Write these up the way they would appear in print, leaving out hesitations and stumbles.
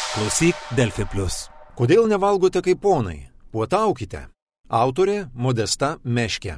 Klausyk Delfi Plus. Kodėl nevalgote kaip ponai? Puotaukite. Autorė Modesta Meškė.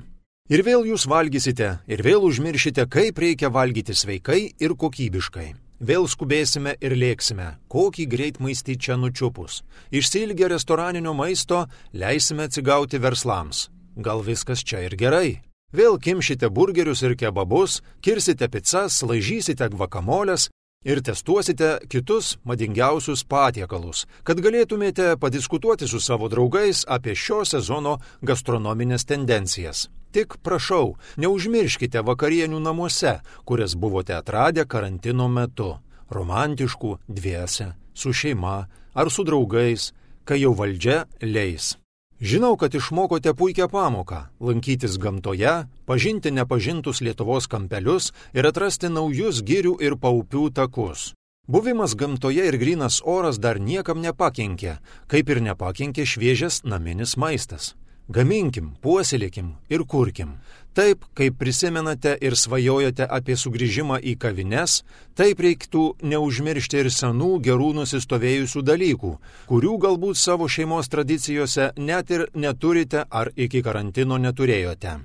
Ir vėl jūs valgysite, ir vėl užmiršite, kaip reikia valgyti sveikai ir kokybiškai. Vėl skubėsime ir lėksime, kokį greitmaistį čia nučiupus. Išsiilgę restoraninio maisto, leisime atsigauti verslams. Gal viskas čia ir gerai? Vėl kimšite burgerius ir kebabus, kirsite pizzas, laižysite gvakamolės ir testuosite kitus madingiausius patiekalus, kad galėtumėte padiskutuoti su savo draugais apie šio sezono gastronominės tendencijas. Tik prašau, neužmirškite vakarienių namuose, kurias buvote atradę karantino metu. Romantiškų, dviese, su šeima ar su draugais, kai jau valdžia leis. Žinau, kad išmokote puikią pamoką – lankytis gamtoje, pažinti nepažintus Lietuvos kampelius ir atrasti naujus girių ir paupių takus. Buvimas gamtoje ir grynas oras dar niekam nepakenkė, kaip ir nepakenkė šviežias naminis maistas. Gaminkim, puoselėkim ir kurkim. Taip, kaip prisimenate ir svajojate apie sugrįžimą į kavines, taip reiktų neužmiršti ir senų gerų nusistovėjusių dalykų, kurių galbūt savo šeimos tradicijose net ir neturite ar iki karantino neturėjote.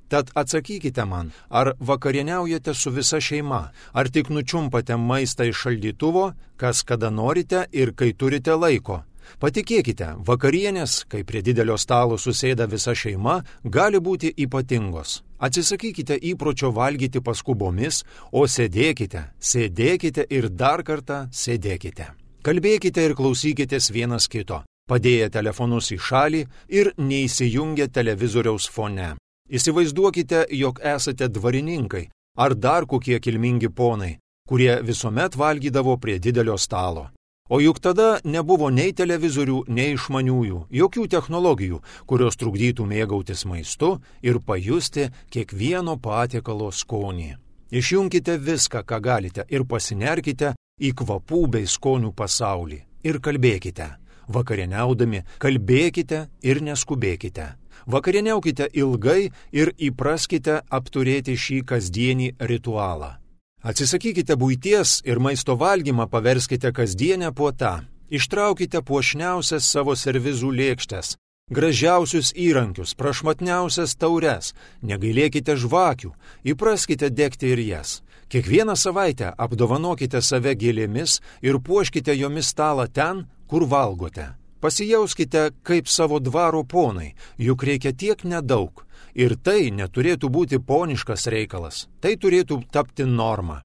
Tad atsakykite man, ar vakarieniaujate su visa šeima, ar tik nučiumpate maistą iš šaldytuvo, kas kada norite ir kai turite laiko. Patikėkite, vakarienės, kai prie didelio stalo susėda visa šeima, gali būti ypatingos. Atsisakykite įpročio valgyti paskubomis, o sėdėkite ir dar kartą sėdėkite. Kalbėkite ir klausykitės vienas kito, padėję telefonus į šalį ir neįsijungę televizoriaus fone. Įsivaizduokite, jog esate dvarininkai ar dar kokie kilmingi ponai, kurie visuomet valgydavo prie didelio stalo. O juk tada nebuvo nei televizorių, nei išmaniųjų, jokių technologijų, kurios trukdytų mėgautis maistu ir pajusti kiekvieno patiekalo skonį. Išjunkite viską, ką galite ir pasinerkite į kvapų bei skonių pasaulį. Ir kalbėkite. Vakarieniaudami kalbėkite ir neskubėkite. Vakarieniaukite ilgai ir įpraskite apturėti šį kasdienį ritualą. Atsisakykite buities ir maisto valgymą paverskite kasdienę puotą. Ištraukite puošniausias savo servizų lėkštes, gražiausius įrankius, prašmatniausias taures, negailėkite žvakių, įpraskite degti ir jas. Kiekvieną savaitę apdovanokite save gėlėmis ir puoškite jomis stalą ten, kur valgote. Pasijauskite kaip savo dvaro ponai, juk reikia tiek nedaug. Ir tai neturėtų būti poniškas reikalas, tai turėtų tapti norma.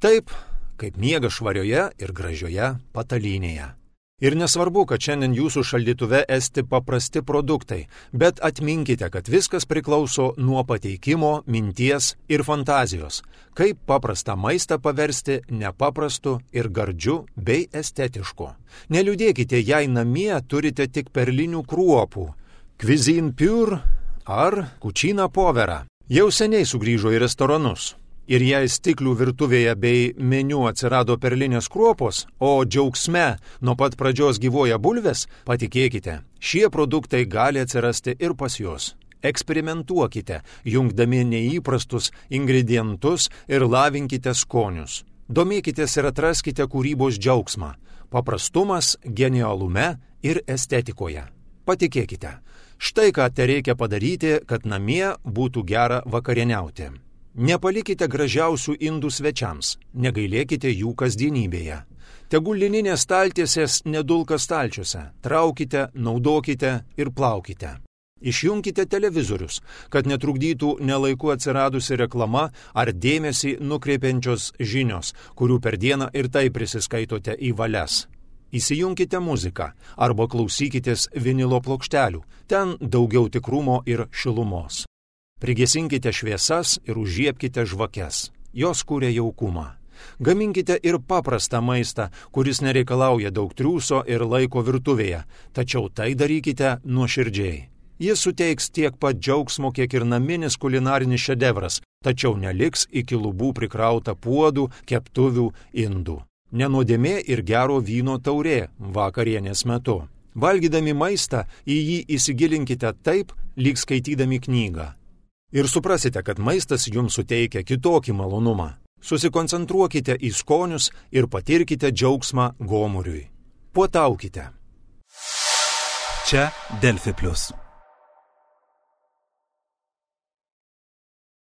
Taip, kaip miega švarioje ir gražioje patalynėje. Ir nesvarbu, kad šiandien jūsų šaldytuve esti paprasti produktai, bet atminkite, kad viskas priklauso nuo pateikimo, minties ir fantazijos, kaip paprastą maistą paversti nepaprastu ir gardžiu bei estetišku. Neliūdėkite, jei namie turite tik perlinių kruopų, cuisine pure ar cucina povera. Jau seniai sugrįžo į restoranus. Ir jei stiklių virtuvėje bei meniu atsirado perlinės kruopos, o džiaugsme nuo pat pradžios gyvoja bulvės, patikėkite, šie produktai gali atsirasti ir pas jūs. Eksperimentuokite, jungdami neįprastus ingredientus ir lavinkite skonius. Domėkitės ir atraskite kūrybos džiaugsmą, paprastumas, genialume ir estetikoje. Patikėkite. Štai ką tereikia padaryti, kad namie būtų gera vakarieniauti. Nepalikite gražiausių indų svečiams, negailėkite jų kasdienybėje. Tegul lininės staltiesės nedulka stalčiuose, traukite, naudokite ir plaukite. Išjunkite televizorius, kad netrukdytų nelaiku atsiradusi reklama ar dėmesį nukreipiančios žinios, kurių per dieną ir tai prisiskaitote į valias. Įsijunkite muziką arba klausykitės vinilo plokštelių, ten daugiau tikrumo ir šilumos. Prigesinkite šviesas ir užžiebkite žvakes, jos kuria jaukumą. Gaminkite ir paprastą maistą, kuris nereikalauja daug triūso ir laiko virtuvėje, tačiau tai darykite nuoširdžiai. Jis suteiks tiek pat džiaugsmo, kiek ir naminis kulinarinis šedevras, tačiau neliks iki lubų prikrauta puodų, keptuvių, indų. Nenuodėmė ir gero vyno taurė vakarienės metu. Valgydami maistą į jį įsigilinkite taip, lyg skaitydami knygą. Ir suprasite, kad maistas jums suteikia kitokį malonumą. Susikoncentruokite į skonius ir patirkite džiaugsmą gomuriui. puotaukite. Čia Delfi Plius.